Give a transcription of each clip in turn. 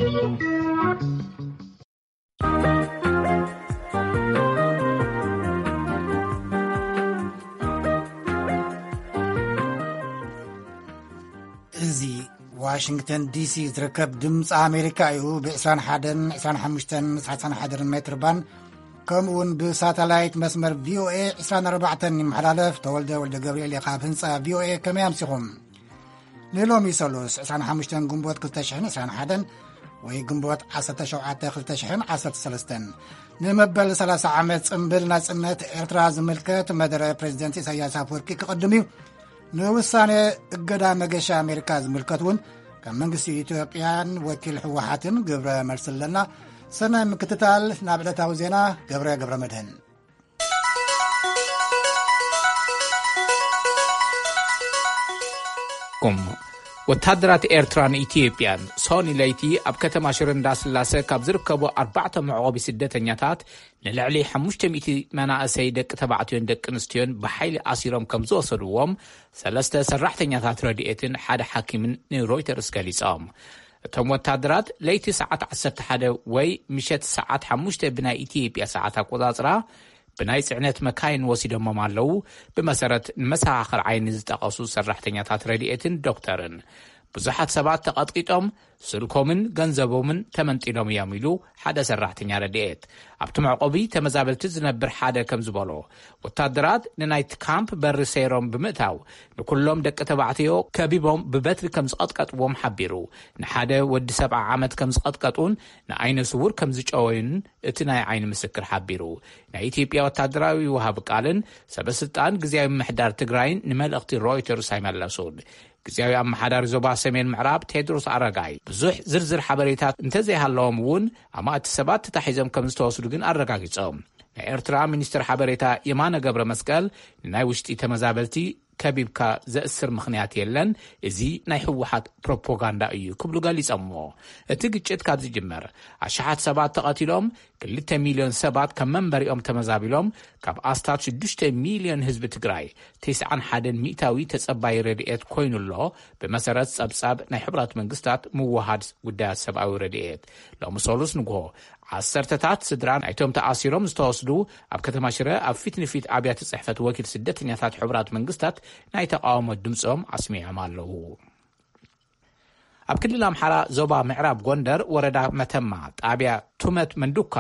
እዚ ዋሽንግተን ዲሲ ዝርከብ ድምፂ ኣሜሪካ እዩ። ብ21፣ 25፣ 31 ሜትር ባንድ፣ ከምኡ እውን ብሳተላይት መስመር ቪኦኤ 24 ይመሓላለፍ። ተወልደ ወልደ ገብርኤል እየ ካብ ህንፃ ቪኦኤ። ከመይ ኣምሲኹም? ንሎሚ ሰሉስ 25 ግንቦት 2021 ወይ ግንቦት 17 2013፣ ንመበል 30 ዓመት ጽምብል ናጽነት ኤርትራ ዝምልከት መደረ ፕሬዚደንት ኢሳያስ ኣፈወርቂ ክቕድም እዩ። ንውሳኔ እገዳ መገሻ ኣሜሪካ ዝምልከት እውን ካብ መንግስቲ ኢትዮጵያን ወኪል ህወሓትን ግብረ መልሲ ኣለና። ሰናይ ምክትታል። ናብ ዕለታዊ ዜና፣ ገብረ ገብረ መድህን። ኩም ወታደራት ኤርትራን ኢትዮጵያን ሶኒ ለይቲ ኣብ ከተማ ሽረ እንዳስላሰ ካብ ዝርከቡ ኣርባዕተ መዕቆቢ ስደተኛታት ንልዕሊ ሓሙሽተ ሚእቲ መናእሰይ ደቂ ተባዕትዮን ደቂ ኣንስትዮን ብሓይሊ ኣሲሮም ከም ዝወሰድዎም ሰለስተ ሰራሕተኛታት ረድኤትን ሓደ ሓኪምን ንሮይተርስ ገሊጾም። እቶም ወታደራት ለይቲ ሰዓት 11 ወይ ምሸት ሰዓት 5 ብናይ ኢትዮጵያ ሰዓት ኣቆጻጽራ ብናይ ጽዕነት መካይን ወሲዶሞም ኣለዉ። ብመሰረት ንመሰኻኽር ዓይኒ ዝጠቐሱ ሰራሕተኛታት ረድኤትን ዶክተርን፣ ብዙሓት ሰባት ተቐጥቂጦም፣ ስልኮምን ገንዘቦምን ተመንጢሎም እዮም ኢሉ ሓደ ሰራሕተኛ ረድኤት። ኣብቲ መዕቆቢ ተመዛበልቲ ዝነብር ሓደ ከም ዝበሎ፣ ወታደራት ንናይቲ ካምፕ በሪ ሰይሮም ብምእታው፣ ንኩሎም ደቂ ተባዕትዮ ከቢቦም ብበትሪ ከም ዝቐጥቀጥዎም ሓቢሩ። ንሓደ ወዲ 70 ዓመት ከም ዝቐጥቀጡን ንዓይነ ስውር ከም ዝጨወዩን እቲ ናይ ዓይኒ ምስክር ሓቢሩ። ናይ ኢትዮጵያ ወታደራዊ ወሃቢ ቃልን ሰበ ስልጣን ግዝያዊ ምምሕዳር ትግራይን ንመልእኽቲ ሮይተርስ ኣይመለሱን። ግዝያዊ ኣመሓዳሪ ዞባ ሰሜን ምዕራብ ቴድሮስ ኣረጋይ ብዙሕ ዝርዝር ሓበሬታት እንተዘይሃለዎም እውን፣ ኣማእቲ ሰባት ተታሒዞም ከም ዝተወስዱ ግን ኣረጋጊጾም። ናይ ኤርትራ ሚኒስትር ሓበሬታ የማነ ገብረ መስቀል፣ ንናይ ውሽጢ ተመዛበልቲ ከቢብካ ዘእስር ምኽንያት የለን፣ እዚ ናይ ህወሓት ፕሮፓጋንዳ እዩ ክብሉ ገሊጾምዎ። እቲ ግጭት ካብ ዝጅመር ኣሽሓት ሰባት ተቐቲሎም፣ ክልተ ሚልዮን ሰባት ካብ መንበሪኦም ተመዛቢሎም፣ ካብ ኣስታት ሽዱሽተ ሚልዮን ህዝቢ ትግራይ 91% ተጸባይ ረድኤት ኮይኑ ኣሎ። ብመሰረት ጸብጻብ ናይ ሕቡራት መንግስታት ምውሃድ ጉዳያት ሰብኣዊ ረድኤት፣ ሎሚ ሰሉስ ንግሆ ዓሰርተታት ስድራ ናይቶም ተኣሲሮም ዝተወስዱ ኣብ ከተማ ሽረ ኣብ ፊት ንፊት ኣብያተ ጽሕፈት ወኪል ስደተኛታት ሕቡራት መንግስታት ናይ ተቃውሞ ድምጾም ኣስሚዖም ኣለዉ። ኣብ ክልል ኣምሓራ ዞባ ምዕራብ ጎንደር ወረዳ መተማ ጣብያ ቱመት መንዱካ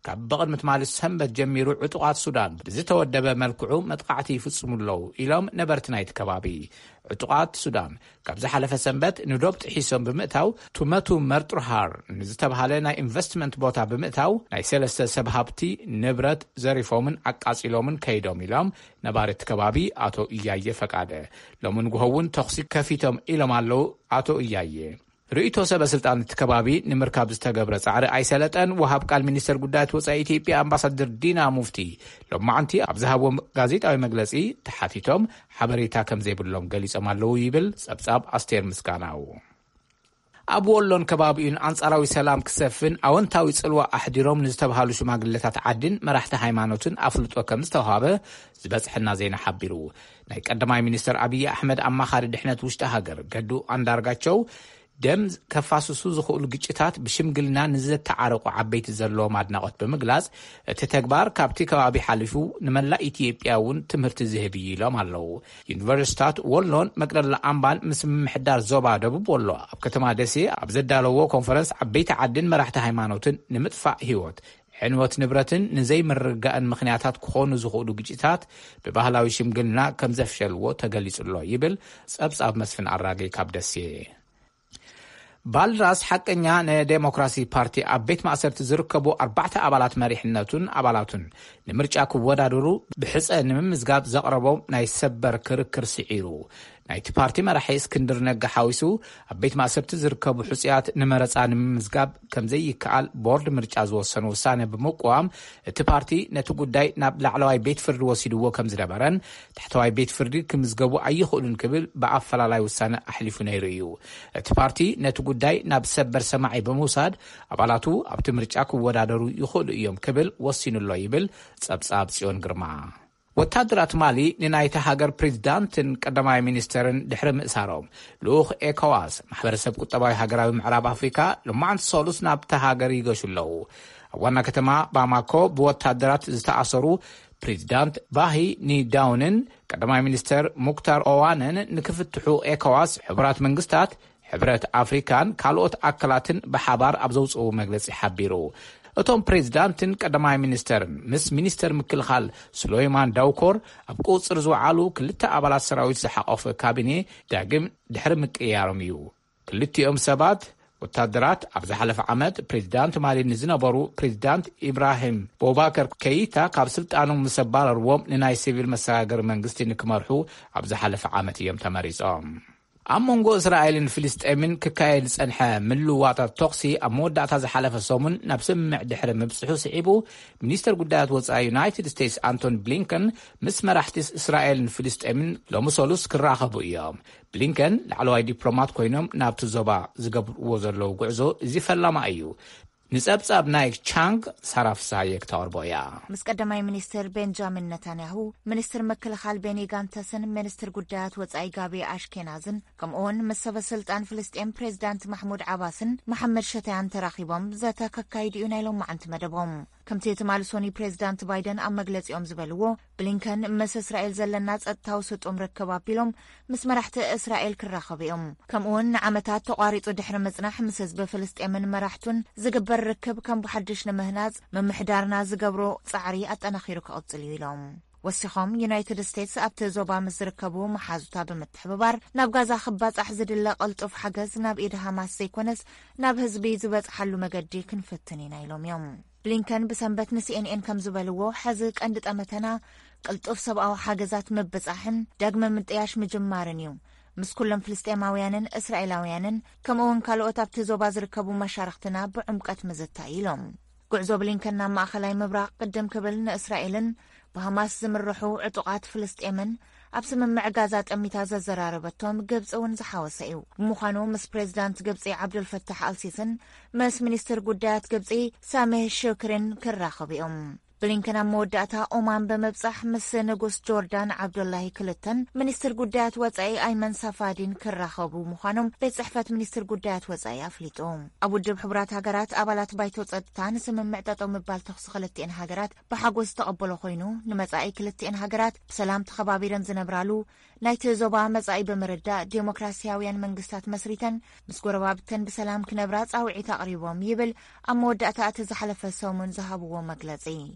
ካብ ብቕድሚ ትማሊ ሰንበት ጀሚሩ ዕጡቓት ሱዳን ብዝተወደበ መልክዑ መጥቃዕቲ ይፍጽሙ ኣለዉ ኢሎም ነበርቲ ናይቲ ከባቢ። ዕጡቓት ሱዳን ካብ ዝሓለፈ ሰንበት ንዶብ ጥሒሶም ብምእታው ቱመቱ መርጡርሃር ንዝተባሃለ ናይ ኢንቨስትመንት ቦታ ብምእታው ናይ ሰለስተ ሰብ ሃብቲ ንብረት ዘሪፎምን ኣቃጺሎምን ከይዶም ኢሎም ነባሪ እቲ ከባቢ ኣቶ እያየ ፈቃደ። ሎም ንግሆ እውን ተኹሲ ከፊቶም ኢሎም ኣለዉ ኣቶ እያየ። ርእይቶ ሰበ ስልጣን እቲ ከባቢ ንምርካብ ዝተገብረ ጻዕሪ ኣይሰለጠን። ወሃብ ቃል ሚኒስተር ጉዳያት ወጻኢ ኢትዮጵያ ኣምባሳደር ዲና ሙፍቲ ሎማዓንቲ ኣብ ዝሃብዎ ጋዜጣዊ መግለጺ ተሓቲቶም ሓበሬታ ከም ዘይብሎም ገሊጾም ኣለዉ ይብል ጸብጻብ ኣስቴር ምስጋናው። ኣብ ወሎን ከባቢኡን ኣንጻራዊ ሰላም ክሰፍን ኣወንታዊ ጽልዋ ኣሕዲሮም ንዝተባሃሉ ሽማግለታት ዓድን መራሕቲ ሃይማኖትን ኣፍልጦ ከም ዝተዋሃበ ዝበጽሐና ዜና ሓቢሩ። ናይ ቀዳማይ ሚኒስተር ኣብይ ኣሕመድ ኣማኻሪ ድሕነት ውሽጢ ሃገር ገዱ ኣንዳርጋቸው፣ ደም ከፋስሱ ዝኽእሉ ግጭታት ብሽምግልና ንዘተዓረቑ ዓበይቲ ዘለዎም ኣድናቖት ብምግላጽ፣ እቲ ተግባር ካብቲ ከባቢ ሓሊፉ ንመላእ ኢትዮጵያ እውን ትምህርቲ ዝህብ እዩ ኢሎም ኣለዉ። ዩኒቨርሲታት ወሎን መቅደላ ኣምባን ምስ ምምሕዳር ዞባ ደቡብ ወሎ ኣብ ከተማ ደሴ ኣብ ዘዳለዎ ኮንፈረንስ ዓበይቲ ዓድን መራሕቲ ሃይማኖትን ንምጥፋእ ህይወት፣ ዕንወት ንብረትን ንዘይምርግጋእን ምኽንያታት ክኾኑ ዝኽእሉ ግጭታት ብባህላዊ ሽምግልና ከም ዘፍሸልዎ ተገሊጹ ኣሎ ይብል ጸብጻብ መስፍን ኣራጌ ካብ ደሴ። ባልድራስ ሓቀኛ ንዴሞክራሲ ፓርቲ ኣብ ቤት ማእሰርቲ ዝርከቡ ኣርባዕተ ኣባላት መሪሕነቱን ኣባላቱን ንምርጫ ክወዳደሩ ብሕጸ ንምምዝጋብ ዘቕረቦም ናይ ሰበር ክርክር ስዒሩ። ናይቲ ፓርቲ መራሒ እስክንድር ነጋ ሓዊሱ ኣብ ቤት ማእሰርቲ ዝርከቡ ሕጹያት ንመረጻ ንምምዝጋብ ከም ዘይከኣል ቦርድ ምርጫ ዝወሰኑ ውሳነ ብምቅዋም፣ እቲ ፓርቲ ነቲ ጉዳይ ናብ ላዕለዋይ ቤት ፍርዲ ወሲድዎ ከም ዝነበረን ታሕተዋይ ቤት ፍርዲ ክምዝገቡ ኣይኽእሉን ክብል ብኣፈላላይ ውሳነ ኣሕሊፉ ነይሩ እዩ። እቲ ፓርቲ ነቲ ጉዳይ ናብ ሰበር ሰማዒ ብምውሳድ ኣባላቱ ኣብቲ ምርጫ ክወዳደሩ ይኽእሉ እዮም ክብል ወሲኑ ኣሎ ይብል ጸብጻብ ጽዮን ግርማ። ወታደራት ማሊ ንናይታ ሃገር ፕሬዚዳንትን ቀዳማይ ሚኒስተርን ድሕሪ ምእሳሮም፣ ልኡኽ ኤኮዋስ፣ ማሕበረሰብ ቁጠባዊ ሃገራዊ ምዕራብ ኣፍሪካ፣ ሎማዕንቲ ሰሉስ ናብታ ሃገር ይገሹ ኣለዉ። ኣብ ዋና ከተማ ባማኮ ብወታደራት ዝተኣሰሩ ፕሬዚዳንት ባሂ ኒዳውንን ቀዳማይ ሚኒስተር ሙክታር ኦዋንን ንክፍትሑ ኤኮዋስ፣ ሕቡራት መንግስታት፣ ሕብረት ኣፍሪካን ካልኦት ኣካላትን ብሓባር ኣብ ዘውፅኡ መግለፂ ሓቢሩ። እቶም ፕሬዚዳንትን ቀዳማይ ሚኒስተርን ምስ ሚኒስተር ምክልኻል ሱሌይማን ዳውኮር ኣብ ቁፅር ዝወዓሉ ክልተ ኣባላት ሰራዊት ዝሓቆፈ ካቢኔ ዳግም ድሕሪ ምቅያሮም እዩ። ክልቲኦም ሰባት ወታደራት ኣብ ዝሓለፈ ዓመት ፕሬዚዳንት ማሊ ንዝነበሩ ፕሬዚዳንት ኢብራሂም ቦባከር ከይታ ካብ ስልጣኖም ምስ ኣባረርዎም ንናይ ሲቪል መሰጋገሪ መንግስቲ ንክመርሑ ኣብ ዝሓለፈ ዓመት እዮም ተመሪጾም። ኣብ መንጎ እስራኤልን ፍልስጤምን ክካየድ ዝጸንሐ ምልውዋጣት ተኹሲ ኣብ መወዳእታ ዝሓለፈ ሰሙን ናብ ስምምዕ ድሕሪ ምብጽሑ ስዒቡ፣ ሚኒስተር ጉዳያት ወጻኢ ዩናይትድ ስቴትስ ኣንቶኒ ብሊንከን ምስ መራሕቲ እስራኤልን ፍልስጤምን ሎሚ ሰሉስ ክራኸቡ እዮም። ብሊንከን ላዕለዋይ ዲፕሎማት ኮይኖም ናብቲ ዞባ ዝገብርዎ ዘለዉ ጉዕዞ እዚ ፈላማ እዩ። ንጸብጻብ ናይ ቻንግ ሳራ ፍሳሃየ ክተቕርቦ እያ። ምስ ቀዳማይ ሚኒስትር ቤንጃሚን ነታንያሁ፣ ሚኒስትር ምክልኻል ቤኒ ጋንተስን ሚኒስትር ጉዳያት ወጻኢ ጋቢ ኣሽኬናዝን፣ ከምኡውን ምስ ሰበ ስልጣን ፍልስጤም ፕሬዚዳንት ማሕሙድ ዓባስን መሓመድ ሸታያን ተራኺቦም ዘተ ከካይዱ እዩ ናይ ሎማዓንቲ መደቦም። ከምቲ ትማሊ ሶኒ ፕሬዚዳንት ባይደን ኣብ መግለጺኦም ዝበልዎ፣ ብሊንከን ምስ እስራኤል ዘለና ጸጥታዊ ስጡም ርክብ ኣቢሎም ምስ መራሕቲ እስራኤል ክራኸቡ እዮም። ከምኡውን ንዓመታት ተቋሪጹ ድሕሪ ምጽናሕ ምስ ህዝቢ ፍልስጤምን መራሕቱን ዝግበር ርክብ ከም ብሓድሽ ንምህናጽ ምምሕዳርና ዝገብሮ ጻዕሪ ኣጠናኺሩ ክቕጽል እዩ ኢሎም። ወሲኾም ዩናይትድ ስቴትስ ኣብቲ ዞባ ምስ ዝርከቡ መሓዙታ ብምትሕብባር ናብ ጋዛ ክባጻሕ ዝድለ ቅልጡፍ ሓገዝ ናብ ኢድ ሃማስ ዘይኮነስ ናብ ህዝቢ ዝበጽሓሉ መገዲ ክንፍትን ኢና ኢሎም እዮም። ብሊንከን ብሰንበት ንሲኤንኤን ከም ዝበልዎ፣ ሕዚ ቀንዲ ጠመተና ቅልጡፍ ሰብኣዊ ሓገዛት ምብጻሕን ዳግመ ምጥያሽ ምጅማርን እዩ። ምስ ኩሎም ፍልስጤማውያንን እስራኤላውያንን ከምኡውን ካልኦት ኣብቲ ዞባ ዝርከቡ መሻርኽትና ብዕምቀት ምዝታይ ኢሎም። ጉዕዞ ብሊንከን ናብ ማእኸላይ ምብራቕ ቅድም ክብል ንእስራኤልን ብሃማስ ዝምርሑ ዕጡቓት ፍልስጤምን ኣብ ስምምዕ ጋዛ ጠሚታ ዘዘራረበቶም ግብፂ እውን ዝሓወሰ እዩ። ብምዃኑ ምስ ፕሬዚዳንት ግብፂ ዓብዱልፈታሕ ኣልሲስን ምስ ሚኒስትር ጉዳያት ግብፂ ሳሜህ ሽክሪን ክራኸቡ እዮም። ብሊንከን ኣብ መወዳእታ ኦማን ብምብጻሕ ምስ ንጉስ ጆርዳን ዓብዱላሂ ክልተን ሚኒስትር ጉዳያት ወጻኢ ኣይመን ሳፋዲን ክራኸቡ ምዃኖም ቤት ጽሕፈት ሚኒስትር ጉዳያት ወጻኢ ኣፍሊጡ። ኣብ ውድብ ሕቡራት ሃገራት ኣባላት ባይቶ ጸጥታ ንስምምዕ ጠጠው ምባል ተኹሲ ክልቲኤን ሃገራት ብሓጎስ ዝተቐበሎ ኮይኑ፣ ንመጻኢ ክልቲኤን ሃገራት ብሰላም ተኸባቢረን ዝነብራሉ፣ ናይቲ ዞባ መጻኢ ብምርዳእ ዴሞክራሲያውያን መንግስታት መስሪተን ምስ ጎረባብተን ብሰላም ክነብራ ጻውዒት ኣቕሪቦም ይብል ኣብ መወዳእታ እቲ ዝሓለፈ ሰሙን ዝሃብዎ መግለጺ።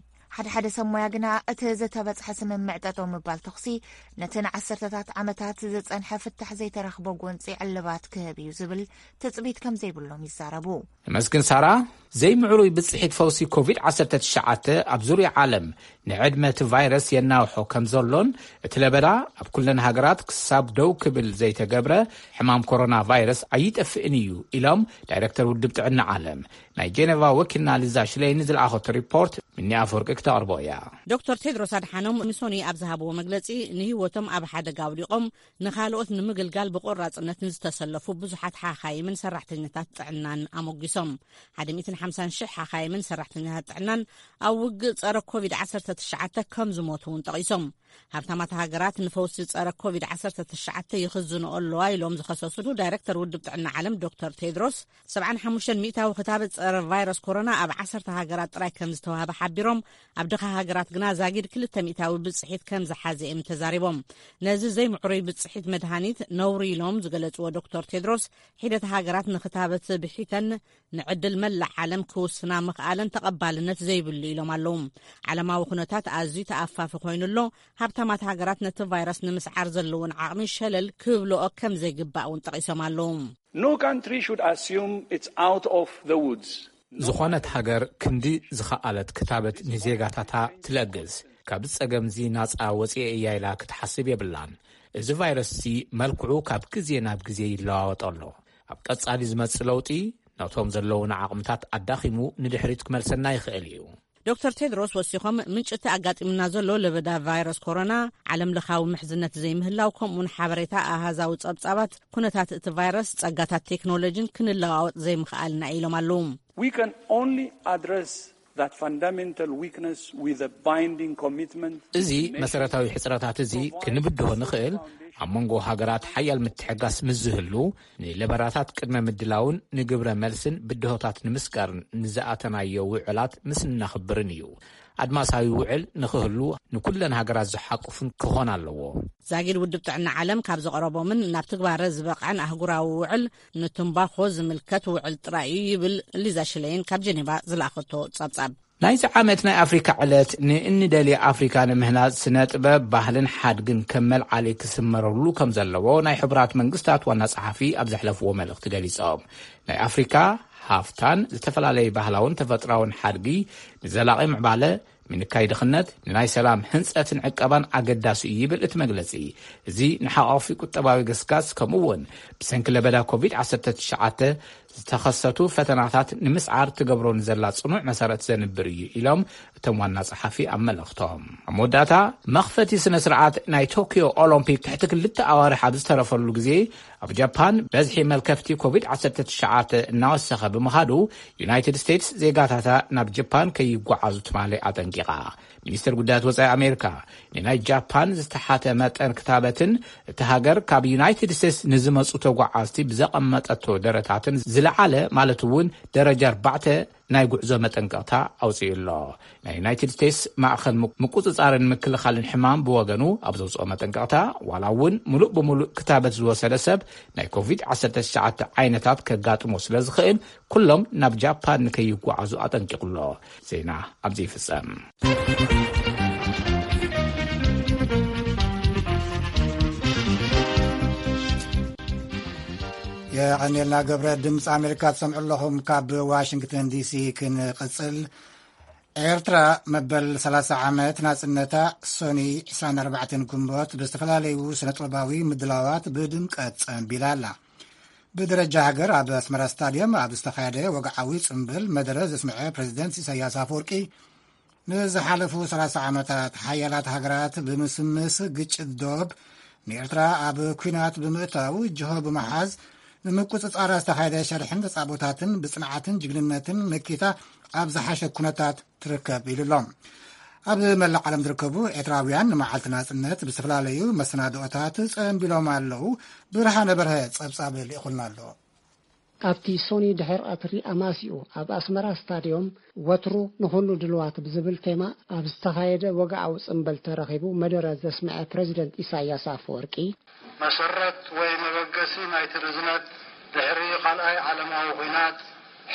ሓደ ሓደ ሰብ ሞያ ግና እቲ ዝተበጽሐ ስምምዕ ጠጠው ምባል ተኹሲ ነቲ ንዓሰርተታት ዓመታት ዝጸንሐ ፍታሕ ዘይተረኽቦ ጎንጺ ዕልባት ክህብ እዩ ዝብል ትጽቢት ከም ዘይብሎም ይዛረቡ። ነመስግን ሳራ። ዘይምዕሩይ ብጽሒት ፈውሲ ኮቪድ ዓሰርተ ትሽዓተ ኣብ ዙርያ ዓለም ንዕድመ እቲ ቫይረስ የናውሖ ከም ዘሎን እቲ ለበዳ ኣብ ኩለን ሃገራት ክሳብ ደው ክብል ዘይተገብረ ሕማም ኮሮና ቫይረስ ኣይጠፍእን እዩ ኢሎም ዳይሬክተር ውድብ ጥዕና ዓለም ናይ ጄኔቫ ወኪልና ሊዛ ሽለይን ዝለኣኸቶ ሪፖርት ምኒ ኣፈወርቂ ክተቕርቦ እያ። ዶክተር ቴድሮስ ኣድሓኖም ንሶኒ ኣብ ዝሃብዎ መግለጺ፣ ንህይወቶም ኣብ ሓደጋ ኣውዲቖም ንኻልኦት ንምግልጋል ብቆራጽነት ንዝተሰለፉ ብዙሓት ሓኻይምን ሰራሕተኛታት ጥዕናን ኣሞጊሶም። ሓደ ሚእትን ሓምሳን ሽሕ ሓኻይምን ሰራሕተኛታት ጥዕናን ኣብ ውግእ ጸረ ኮቪድ ዓሰርተ ትሽዓተ ከም ዝሞቱ እውን ጠቒሶም። ሃብታማት ሃገራት ንፈውሲ ጸረ ኮቪድ ዓሰርተ ትሽዓተ ይኽዝንኦ ኣለዋ ኢሎም ዝኸሰሱ ዳይሬክተር ውድብ ጥዕና ዓለም ዶክተር ቴድሮስ፣ ሰብዓን ሓሙሽተን ሚእታዊ ክታበት ጸረ ቫይረስ ኮሮና ኣብ ዓሰርተ ሃገራት ጥራይ ከም ዝተዋህበ ሓቢሮም፣ ኣብ ድኻ ሃገራት ግና ዛጊድ ክልተ ሚእታዊ ብጽሒት ከም ዝሓዘ እዮም ተዛሪቦም። ነዚ ዘይምዕሩይ ብጽሒት መድሃኒት ነውሪ ኢሎም ዝገለጽዎ ዶክተር ቴድሮስ፣ ሒደት ሃገራት ንክታበት ብሒተን ንዕድል መላእ ዓለም ክውስና ምኽኣለን ተቐባልነት ዘይብሉ ኢሎም ኣለዉ። ዓለማዊ ኩነታት ኣዝዩ ተኣፋፊ ኮይኑ ኣሎ። ሃብታማት ሃገራት ነቲ ቫይረስ ንምስዓር ዘለውን ዓቕሚ ሸለል ክብልኦ ከም ዘይግባእ እውን ጠቒሶም ኣለዉ። No country should assume it's out of the woods. ዝኾነት ሃገር ክንዲ ዝኸኣለት ክታበት ንዜጋታታ ትለግስ፣ ካብዚ ጸገምዚ ናጻ ወጽኤ እያ ኢላ ክትሓስብ የብላን። እዚ ቫይረስዚ መልክዑ ካብ ግዜ ናብ ግዜ ይለዋወጥ ኣሎ። ኣብ ቀጻሊ ዝመጽእ ለውጢ ነቶም ዘለዉና ዓቕምታት ኣዳኺሙ ንድሕሪት ክመልሰና ይኽእል እዩ። ዶክተር ቴድሮስ ወሲኾም፣ ምንጭቲ ኣጋጢሙና ዘሎ ለበዳ ቫይረስ ኮሮና፣ ዓለም ለኻዊ ምሕዝነት ዘይምህላው፣ ከምኡውን ሓበሬታ ኣሃዛዊ ጸብጻባት ኩነታት እቲ ቫይረስ፣ ጸጋታት ቴክኖሎጂን ክንለዋወጥ ዘይምኽኣልና ኢሎም ኣለዉ። We can only address that fundamental weakness with a binding commitment እዚ መሰረታዊ ሕጽረታት እዚ ክንብድሆ ንኽእል። ኣብ መንጎ ሃገራት ሓያል ምትሕጋስ ምስ ዝህሉ፣ ንለበራታት ቅድመ ምድላውን ንግብረ መልስን ብድሆታት ንምስጋርን ንዝኣተናዮ ውዕላት ምስ እናኽብርን እዩ። ኣድማሳዊ ውዕል ንኽህሉ ንኩለን ሃገራት ዝሓቁፍን ክኾን ኣለዎ። ዛጊድ ውድብ ጥዕና ዓለም ካብ ዘቕረቦምን ናብ ትግባረ ዝበቕዐን ኣህጉራዊ ውዕል ንትምባኾ ዝምልከት ውዕል ጥራይ እዩ ይብል ሊዛ ሽለይን ካብ ጀኔቫ ዝለኣኸቶ ጸብጻብ። ናይዚ ዓመት ናይ ኣፍሪካ ዕለት ንእንደልየ ኣፍሪካ ንምህናጽ ስነ ጥበብ፣ ባህልን ሓድግን ከም መልዓሊ ክስመረሉ ከም ዘለዎ ናይ ሕቡራት መንግስታት ዋና ጸሓፊ ኣብ ዘሕለፍዎ መልእኽቲ ገሊጾም። ናይ ኣፍሪካ ሃፍታን ዝተፈላለዩ ባህላውን ተፈጥራውን ሓድጊ ንዘላቒ ምዕባለ፣ ምንካይ ድኽነት፣ ንናይ ሰላም ህንጸትን ዕቀባን ኣገዳሲ እዩ ይብል እቲ መግለጺ። እዚ ንሓቋፊ ቁጠባዊ ገስጋስ ከምኡ እውን ብሰንኪ ለበዳ ኮቪድ ዓሰርተ ትሽዓተ ዝተኸሰቱ ፈተናታት ንምስዓር ትገብሮ ንዘላ ጽኑዕ መሰረት ዘንብር እዩ ኢሎም እቶም ዋና ጸሓፊ ኣብ መልእኽቶም። ኣብ መወዳእታ፣ መኽፈቲ ስነ ስርዓት ናይ ቶኪዮ ኦሎምፒክ ትሕቲ ክልተ ኣዋርሕ ኣብ ዝተረፈሉ ግዜ ኣብ ጃፓን በዝሒ መልከፍቲ ኮቪድ ዓሰርተ ትሽዓተ እናወሰኸ ብምኻዱ፣ ዩናይትድ ስቴትስ ዜጋታታ ናብ ጃፓን ከይጓዓዙ ትማሊ ኣጠንቂቓ። ሚኒስትር ጉዳያት ወጻኢ ኣሜሪካ ንናይ ጃፓን ዝተሓተ መጠን ክታበትን እቲ ሃገር ካብ ዩናይትድ ስቴትስ ንዝመጹ ተጓዓዝቲ ብዘቐመጠቶ ደረታትን ዝለዓለ፣ ማለት እውን ደረጃ ኣርባዕተ ናይ ጉዕዞ መጠንቀቕታ ኣውጺኡ ኣሎ። ናይ ዩናይትድ ስቴትስ ማእኸል ምቁጽጻርን ምክልኻልን ሕማም ብወገኑ ኣብ ዘውጽኦ መጠንቀቕታ፣ ዋላ እውን ሙሉእ ብሙሉእ ክታበት ዝወሰደ ሰብ ናይ ኮቪድ ዓሰርተ ትሽዓተ ዓይነታት ከጋጥሞ ስለ ዝኽእል፣ ኩሎም ናብ ጃፓን ንከይጓዓዙ ኣጠንቂቑ ኣሎ። ዜና ኣብዚ ይፍጸም። የቐኔልና ገብረ። ድምፂ ኣሜሪካ ትሰምዑ ኣለኹም። ካብ ዋሽንግተን ዲሲ ክንቕፅል። ኤርትራ መበል ሰላሳ ዓመት ናጽነታ ሶኒ ዕስራን ኣርባዕተን ግንቦት ብዝተፈላለዩ ስነ ጥበባዊ ምድላዋት ብድምቀት ጸንቢላ ኣላ። ብደረጃ ሃገር ኣብ ኣስመራ ስታድየም ኣብ ዝተኻየደ ወግዓዊ ጽምብል መደረ ዘስምዐ ፕሬዚደንት ኢሳያስ ኣፈወርቂ፣ ንዝሓለፉ ሰላሳ ዓመታት ሓያላት ሃገራት ብምስምስ ግጭት ዶብ ንኤርትራ ኣብ ኲናት ብምእታው ጅሆ ብምሓዝ ንምቁጽጻራ ዝተኻየደ ሸርሕን ተጻቦታትን ብጽንዓትን ጅግንነትን መኪታ ኣብ ዝሓሸ ኩነታት ትርከብ ኢሉ ኣሎ። ኣብ መላእ ዓለም ዝርከቡ ኤርትራውያን ንመዓልቲ ናጽነት ብዝተፈላለዩ መሰናድኦታት ጸንቢሎም ኣለዉ። ብርሃነ በርሀ ጸብጻብ ልኢኹልና ኣሎ። ኣብቲ ሶኒ ድሕሪ ቀትሪ ኣማሲኡ ኣብ ኣስመራ ስታድዮም ወትሩ ንኹሉ ድልዋት ብዝብል ቴማ ኣብ ዝተኻየደ ወግዓዊ ጽምብል ተረኺቡ መደረ ዘስምዐ ፕረዚደንት ኢሳያስ ኣፈወርቂ፣ መሰረት ወይ መበገሲ ናይቲ ርዝነት ድሕሪ ካልኣይ ዓለማዊ ኲናት፣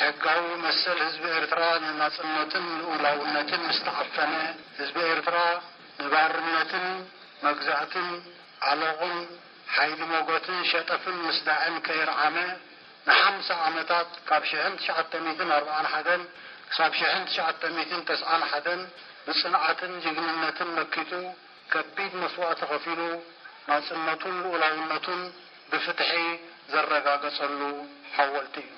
ሕጋዊ መሰል ህዝቢ ኤርትራ ንናጽነትን ልኡላውነትን ምስ ተዓፈነ፣ ህዝቢ ኤርትራ ንባርነትን መግዛእትን ዓሎቕን ሓይሊ ሞጎትን ሸጠፍን ምስዳዕን ከየርዓመ፣ ንሓምሳ ዓመታት፣ ካብ ሽሕን ትሽዓተ ሚእትን ኣርብዓን ሓደን ክሳብ ሽሕን ትሽዓተ ሚእትን ተስዓን ሓደን፣ ብጽንዓትን ጅግንነትን መኪቱ፣ ከቢድ መስዋእቲ ከፊሉ፣ ናጽነቱን ልኡላውነቱን ብፍትሒ ዘረጋገጸሉ ሓወልቲ እዩ።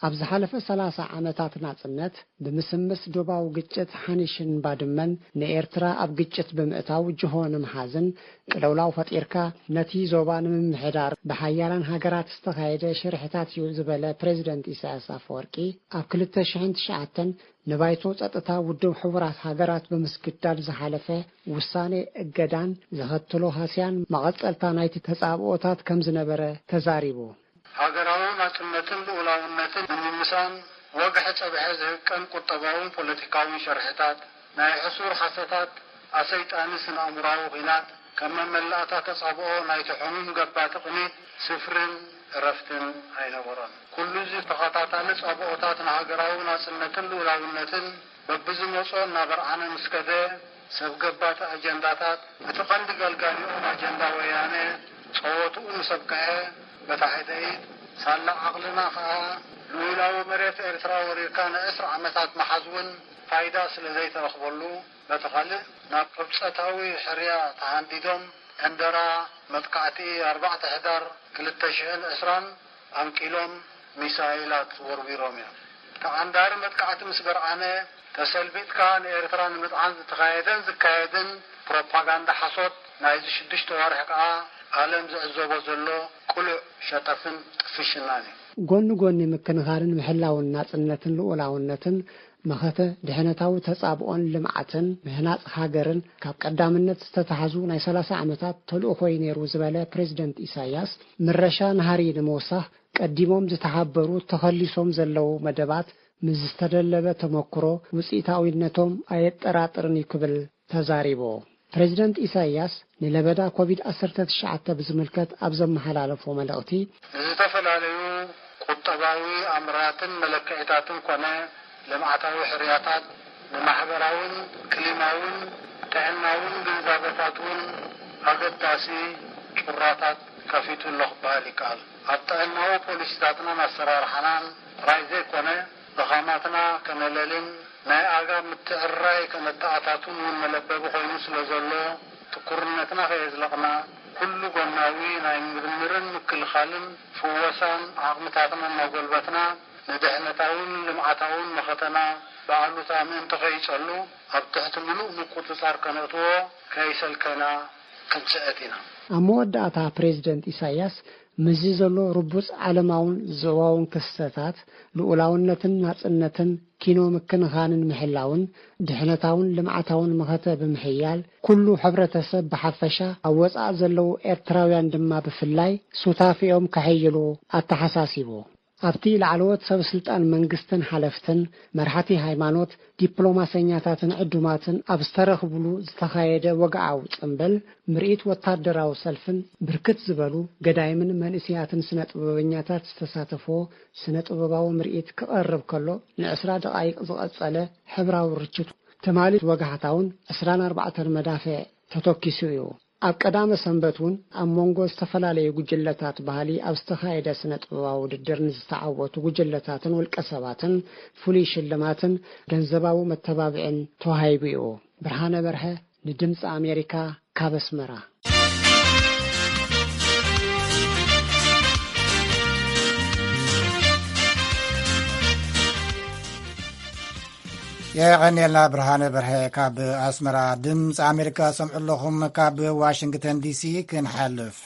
ኣብ ዝሓለፈ ሰላሳ ዓመታት ናጽነት፣ ብምስምስ ዶባዊ ግጭት ሓኒሽን ባድመን ንኤርትራ ኣብ ግጭት ብምእታው ጅሆ ንምሓዝን ቅልውላው ፈጢርካ ነቲ ዞባ ንምምሕዳር ብሓያላን ሃገራት ዝተኻየደ ሽርሕታት እዩ ዝበለ ፕሬዚደንት ኢሳያስ ኣፈወርቂ፣ ኣብ ክልተ ሽሕን ትሽዓተን ንባይቶ ጸጥታ ውድብ ሕቡራት ሃገራት ብምስግዳድ ዝሓለፈ ውሳኔ እገዳን ዘኸትሎ ሃስያን መቐጸልታ ናይቲ ተጻብኦታት ከም ዝነበረ ተዛሪቡ። ሃገራዊ ናጽነትን ልኡላውነትን ንምምሳን ወግሐ ጸብሐ ዝህቀን ቁጠባውን ፖለቲካውን ሸርሕታት፣ ናይ ሕሱር ሓሰታት ኣሰይጣኒ ስነ-ኣእምሮኣዊ ኲናት፣ ከም መመላእታ ተጻብኦ ናይቲ ሕሙም ገባቲ ቅኒት ስፍርን እረፍትን ኣይነበሮን። ኩሉ እዚ ተኸታታሊ ጻብኦታት ንሃገራዊ ናጽነትን ልኡላውነትን በብዝመጾ እናበርዓነ ምስ ከደ፣ ሰብ ገባቲ ኣጀንዳታት፣ እቲ ቀንዲ ገልጋሊኦም ኣጀንዳ ወያነ፣ ጸወትኡ ምስ ኣብቅዐ፣ በታ ሓደ ኢድ፣ ሳላ ዓቕልና ከኣ፣ ልኡላዊ መሬት ኤርትራ ወሪርካ ንዕስራ ዓመታት ምሓዝ እውን ፋይዳ ስለ ዘይተረኽበሉ፣ በቲ ካልእ፣ ናብ ቅብጸታዊ ሕርያ ተሃንዲዶም፣ ዕንደራ መጥቃዕቲ ኣርባዕተ ሕዳር ክልተ ሽሕን ዕስራን ኣንቂሎም ሚሳይላት ወርዊሮም እዮም። ተዓንዳሪ መጥቃዕቲ ምስ በርዓነ፣ ተሰልቢጥካ ንኤርትራ ንምጽዓን ዝተኻየደን ዝካየድን ፕሮፓጋንዳ ሓሶት ናይዚ ሽዱሽተ ወርሒ ከኣ ዓለም ዝዕዘቦ ዘሎ ቅሉዕ ሸጠፍን ጥፍሽናን እዩ። ጎኒ ጎኒ ምክንኻንን ምሕላውን ናጽነትን ልኡላውነትን፣ መኸተ ድሕነታዊ ተጻብኦን ልምዓትን ምህናጽ ሃገርን ካብ ቀዳምነት ዝተታሕዙ ናይ ሰላሳ ዓመታት ተልእኾ እዩ ነይሩ ዝበለ ፕሬዝደንት ኢሳያስ፣ ምረሻ ናህሪ ንምውሳኽ ቀዲሞም ዝተሓበሩ ተኸሊሶም ዘለዉ መደባት ምስ ዝተደለበ ተመክሮ ውጽኢታዊነቶም ኣየጠራጥርን እዩ ክብል ተዛሪቡ። ፕሬዝደንት ኢሳያስ ንለበዳ ኮቪድ ዓሰርተ ትሽዓተ ብዝምልከት ኣብ ዘመሓላለፎ መልእኽቲ፣ ንዝተፈላለዩ ቁጠባዊ ኣምራትን መለክዒታትን ኮነ ልምዓታዊ ሕርያታት፣ ንማሕበራውን ክሊማውን ጥዕናውን ግንዛበታት እውን ኣገዳሲ ጩራታት ከፊቱ ኣሎ ክበሃል ይከኣል። ኣብ ጥዕናዊ ፖሊሲታትናን ኣሰራርሓናን ጥራይ ዘይኮነ፣ ድኻማትና ከነለልን ናይ ኣጋ ምትዕርራይ ከነተኣታቱን እውን መለበቢ ኮይኑ ስለ ዘሎ፣ ትኩርነትና ከየዝለቕና፣ ኩሉ ጎናዊ ናይ ምርምርን ምክልኻልን ፍወሳን ዓቕምታትና እናጎልበትና፣ ንድሕነታውን ልምዓታውን መኸተና ብኣሉታ ምእንቲ ከይጸሉ፣ ኣብ ትሕቲ ምሉእ ምቁጽጻር ከነእትዎ ከይሰልከና ክንጽዕት ኢና። ኣብ መወዳእታ ፕሬዝደንት ኢሳያስ፣ ምስዚ ዘሎ ርቡጽ ዓለማውን ዞባውን ክስተታት፣ ልኡላውነትን ናጽነትን ኪኖ ምክንኻንን ምሕላውን፣ ድሕነታውን ልምዓታውን መኸተ ብምሕያል፣ ኩሉ ሕብረተሰብ ብሓፈሻ፣ ኣብ ወጻኢ ዘለዉ ኤርትራውያን ድማ ብፍላይ፣ ሱታፌኦም ከሐይሉ ኣተሓሳሲቡ። ኣብቲ ላዕለዎት ሰብ ስልጣን መንግስትን ሓለፍትን፣ መራሕቲ ሃይማኖት፣ ዲፕሎማሰኛታትን ዕዱማትን ኣብ ዝተረኽብሉ ዝተኻየደ ወግዓዊ ጽምብል፣ ምርኢት ወታደራዊ ሰልፍን ብርክት ዝበሉ ገዳይምን መንእሰያትን ስነ ጥበበኛታት ዝተሳተፎ ስነ ጥበባዊ ምርኢት ክቐርብ ከሎ፣ ንዕስራ ደቓይቕ ዝቐጸለ ሕብራዊ ርችት፣ ትማሊ ወጋሕታውን ዕስራን ኣርባዕተን መዳፍዕ ተተኪሱ እዩ። ኣብ ቀዳመ ሰንበት እውን ኣብ መንጎ ዝተፈላለዩ ጉጅለታት ባህሊ ኣብ ዝተኻየደ ስነ ጥበባዊ ውድድር ንዝተዓወቱ ጉጅለታትን ውልቀ ሰባትን ፍሉይ ሽልማትን ገንዘባዊ መተባብዕን ተዋሂቡ እዩ። ብርሃነ በርሀ ንድምፂ ኣሜሪካ ካብ ኣስመራ። የቐንየልና ብርሃነ በርሀ ካብ ኣስመራ። ድምፂ ኣሜሪካ ሰምዑ ኣለኹም። ካብ ዋሽንግተን ዲሲ ክንሓልፍ፣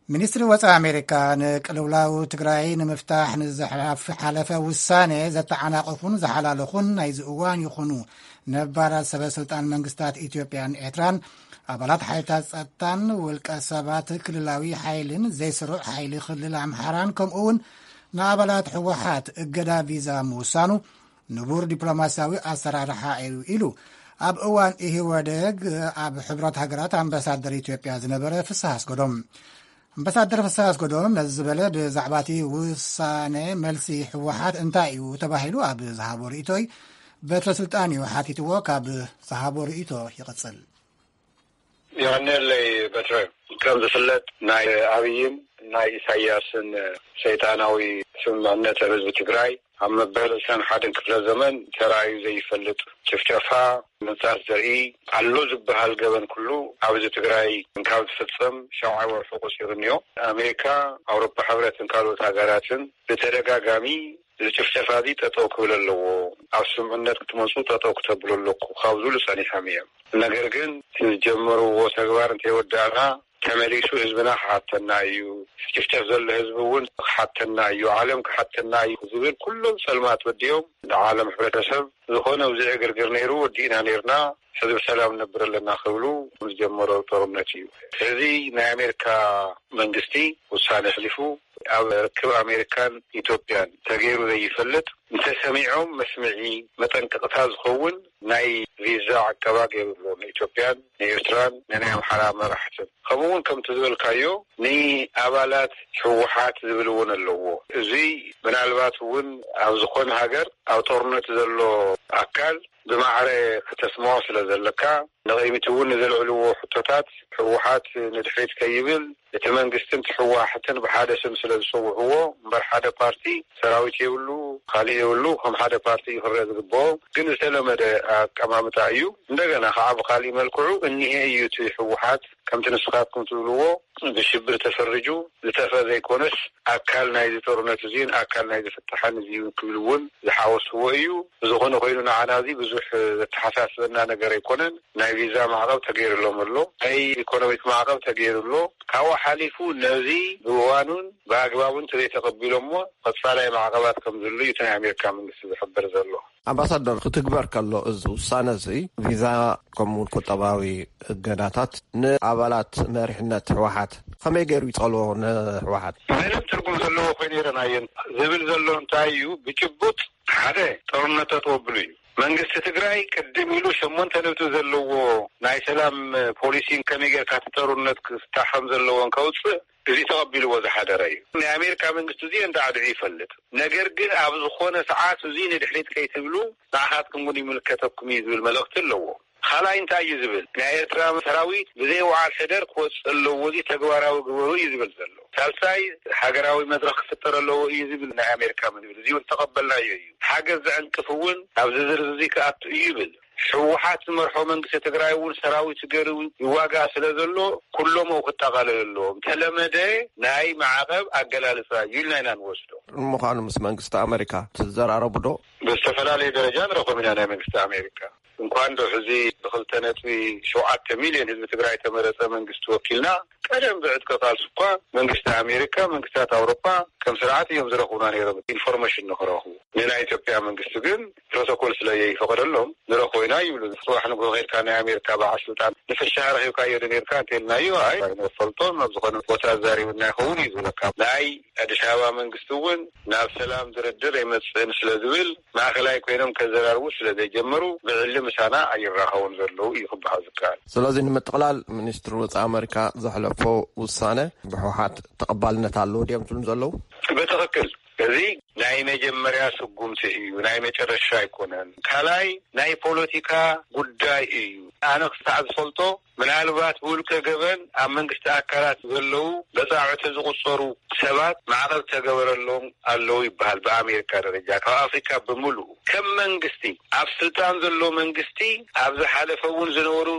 ሚኒስትሪ ወፃኢ ኣሜሪካ ንቅልውላው ትግራይ ንምፍታሕ ንዝሓለፈ ውሳነ ዘተዓናቐፉን ዝሓላለኹን ናይዚ እዋን ይኹኑ ነባራት ሰበ ስልጣን መንግስታት ኢትዮጵያን ኤርትራን፣ ኣባላት ሓይልታት ጸጥታን ውልቀ ሰባት ክልላዊ ሓይልን ዘይስሩዕ ሓይሊ ክልል ኣምሓራን፣ ከምኡ እውን ንኣባላት ህወሓት እገዳ ቪዛ ምውሳኑ ንቡር ዲፕሎማሲያዊ ኣሰራርሓ እዩ ኢሉ ኣብ እዋን ኢህወደግ ኣብ ሕብረት ሃገራት ኣምባሳደር ኢትዮጵያ ዝነበረ ፍስሃ ኣስገዶም። ኣምባሳደር ፍስሃ ኣስገዶም ነዚ ዝበለ፣ ብዛዕባ እቲ ውሳነ መልሲ ህወሓት እንታይ እዩ ተባሂሉ ኣብ ዝሃቦ ርእይቶይ፣ በትረ ስልጣን እዩ ሓቲትዎ። ካብ ዝሃቦ ርእይቶ ይቕጽል። የቐንየለይ በትረ። ከም ዝፍለጥ፣ ናይ ኣብይን ናይ ኢሳያስን ሰይጣናዊ ስምምዕነት ኣብ ህዝቢ ትግራይ ኣብ መበል ዕስራን ሓደን ክፍለ ዘመን ተራእዩ ዘይፈልጥ ጭፍጨፋ፣ ምንጻት ዘርኢ፣ ኣሎ ዝበሃል ገበን ኩሉ ኣብዚ ትግራይ እንካብ ዝፍጸም ሸውዓይ ወርሑ ቆጺሩ እኒኦ። ኣሜሪካ፣ ኣውሮፓ ሕብረትን ካልኦት ሃገራትን ብተደጋጋሚ እዚ ጭፍጨፋ እዚ ጠጠው ክብል ኣለዎ፣ ኣብ ስምምዕነት ክትመጹ ጠጠው ክተብሉ ኣለኩ ካብ ዝብሉ ጸኒሖም እዮም። ነገር ግን እቲ ዝጀመርዎ ተግባር እንተይወዳእና፣ ተመሊሱ ህዝብና ክሓተና እዩ፣ ጭፍጨፍ ዘሎ ህዝቢ እውን ክሓተና እዩ፣ ዓለም ክሓተና እዩ ዝብል ኩሎም ጸልማት ወዲኦም፣ ንዓለም ሕብረተሰብ ዝኾነ ኣብዚ ዕግርግር ነይሩ፣ ወዲእና ነይርና፣ ሕዚ ብሰላም ንነብር ኣለና ክብሉ ዝጀመሮ ጦርነት እዩ። ስለዚ ናይ ኣሜሪካ መንግስቲ ውሳነ ኣሕሊፉ፣ ኣብ ርክብ ኣሜሪካን ኢትዮጵያን ተገይሩ ዘይፈልጥ፣ እንተሰሚዖም መስምዒ መጠንቀቕታ ዝኸውን ናይ ቪዛ ዕቀባ ገይሩ ኣሎ ንኢትዮጵያን ንኤርትራን ንናይ ኣምሓራ መራሕትን። ከምኡ እውን ከምቲ ዝበልካዮ ንኣባላት ህወሓት ዝብል እውን ኣለዎ። እዚ ምናልባት እውን ኣብ ዝኾነ ሃገር ኣብ ጦርነት ዘሎ ኣካል ብማዕረ ክተስምዖ ስለ ዘለካ፣ ንቕድሚት እውን ንዘልዕልዎ ሕቶታት ህወሓት ንድሕሪት ከይብል፣ እቲ መንግስትን እቲ ህወሓትን ብሓደ ስም ስለ ዝጸውዕዎ እምበር፣ ሓደ ፓርቲ ሰራዊት የብሉ፣ ካሊእ የብሉ፣ ከም ሓደ ፓርቲ እዩ ክረአ ዝግብኦ። ግን ዝተለመደ ኣቀማምጣ እዩ። እንደገና ከዓ ብካሊእ መልክዑ እኒሄ እዩ እቲ ህወሓት ከምቲ ንስኻትኩም ትብልዎ ብሽብር ተፈርጁ ዝተፈ ዘይኮነስ ኣካል ናይዚ ጦርነት እዚን ኣካል ናይዚ ፍታሕን እዚ ክብል እውን ዝሓወስዎ እዩ። ብዝኾነ ኮይኑ ንዓና እዚ ብዙሕ ዘተሓሳስበና ነገር ኣይኮነን። ናይ ቪዛ ማዕቐብ ተገይሩሎም ኣሎ፣ ናይ ኢኮኖሚክ ማዕቐብ ተገይሩ ኣሎ። ካብኡ ሓሊፉ ነዚ ብእዋኑን ብኣግባቡን ተዘይተቐቢሎሞ ቀፃላይ ማዕቐባት ከም ዝህሉ እዩ እቲ ናይ ኣሜሪካ መንግስቲ ዝሕብር ዘሎ። ኣምባሳደር፣ ክትግበር ከሎ እዚ ውሳነ እዚ ቪዛ ከምኡውን ቁጠባዊ እገዳታት ንኣባላት መሪሕነት ህወሓት ከመይ ገይሩ ይጸልዎ ንህወሓት? ምንም ትርጉም ዘለዎ ኮይኑ ይረናየን። ዝብል ዘሎ እንታይ እዩ? ብጭቡጥ ሓደ ጦርነት ተጥወብሉ እዩ። መንግስቲ ትግራይ ቅድም ኢሉ ሸሞንተ ነጥቢ ዘለዎ ናይ ሰላም ፖሊሲ ከመይ ጌርካ እቲ ጦርነት ክፍታሕ ከም ዘለዎን ከውፅእ እዚ ተቐቢልዎ ዝሓደረ እዩ። ናይ ኣሜሪካ መንግስቲ እዚ እንዳዕድዑ ይፈልጥ። ነገር ግን ኣብ ዝኾነ ሰዓት እዚ ንድሕሪት ከይትብሉ ንዓኻትኩም እውን ይምልከተኩም እዩ ዝብል መልእኽቲ ኣለዎ። ካልኣይ እንታይ እዩ ዝብል? ናይ ኤርትራ ሰራዊት ብዘይ ውዓል ሕደር ክወፅእ ኣለዎ፣ እዚ ተግባራዊ ግበሩ እዩ ዝብል ዘሎ። ሳልሳይ ሃገራዊ መድረኽ ክፍጠር ኣለዎ እዩ ዝብል ናይ ኣሜሪካ መንግስቲ። እዚ እውን ተቐበልናዮ እዩ። ሓገዝ ዘዕንቅፍ እውን ኣብዚ ዝርዝር እዚ ክኣቱ እዩ ይብል። ህወሓት ዝመርሖ መንግስቲ ትግራይ እውን ሰራዊት ገይሩ ይዋጋእ ስለ ዘሎ ኩሎም ክጠቓለሉ ኣለዎም። ተለመደ ናይ ማዕቐብ ኣገላልፃ እዩ ኢልና ኢና ንወስዶ። ንምዃኑ ምስ መንግስቲ ኣሜሪካ ትዘራረቡ ዶ? ብዝተፈላለየ ደረጃ ንረኽቦም ኢና ናይ መንግስቲ ኣሜሪካ። እንኳን ዶ ሕዚ ብክልተ ነጥቢ ሸውዓተ ሚልዮን ህዝቢ ትግራይ ተመረፀ መንግስቲ ወኪልና ቀደም ብዕጥቂ ቃልሲ እኳ መንግስቲ ኣሜሪካ፣ መንግስታት ኣውሮፓ ከም ስርዓት እዮም ዝረኽቡና ነይሮም ኢንፎርሜሽን ንክረኽቡ። ንናይ ኢትዮጵያ መንግስቲ ግን ፕሮቶኮል ስለ ዘይፈቐደሎም ንረኽቦ ኢና ይብሉ። ጽባሕ ንግሆ ከይድካ ናይ ኣሜሪካ በዓል ስልጣን ንፍሻ ረኺብካዮ ዶ ነይርካ እንተልናዮ፣ ኣይ ኣይንፈልጦን፣ ኣብ ዝኾነ ቦታ ዛሪብና ይኸውን እዩ ዝብለካ። ናይ ኣዲስ ኣበባ መንግስቲ እውን ናብ ሰላም ድርድር ኣይመጽእን ስለ ዝብል ማእኸላይ ኮይኖም ከዘራርቡ ስለ ዘይጀመሩ ብዕሊ ምሳና ኣይራኸቡን ዘለዉ እዩ ክበሃል ዝከኣል። ስለዚ ንምጥቕላል ሚኒስትር ወጻኢ ኣሜሪካ ዘሕለፎ ውሳነ ብህወሓት ተቐባልነት ኣለዎ ድዮም ትብሉ ዘለዉ? ብትኽክል። እዚ ናይ መጀመርያ ስጉምቲ እዩ፣ ናይ መጨረሻ ኣይኮነን። ካልኣይ ናይ ፖለቲካ ጉዳይ እዩ። ኣነ ክሳዕ ዝፈልጦ ምናልባት ብውልቀ ገበን ኣብ መንግስቲ ኣካላት ዘለዉ በጻዕዕቲ ዝቑጸሩ ሰባት ማዕቐብ ተገበረሎም ኣለዉ ይበሃል ብኣሜሪካ ደረጃ፣ ካብ ኣፍሪካ ብምሉኡ። ከም መንግስቲ ኣብ ስልጣን ዘሎ መንግስቲ ኣብ ዝሓለፈ እውን ዝነበሩ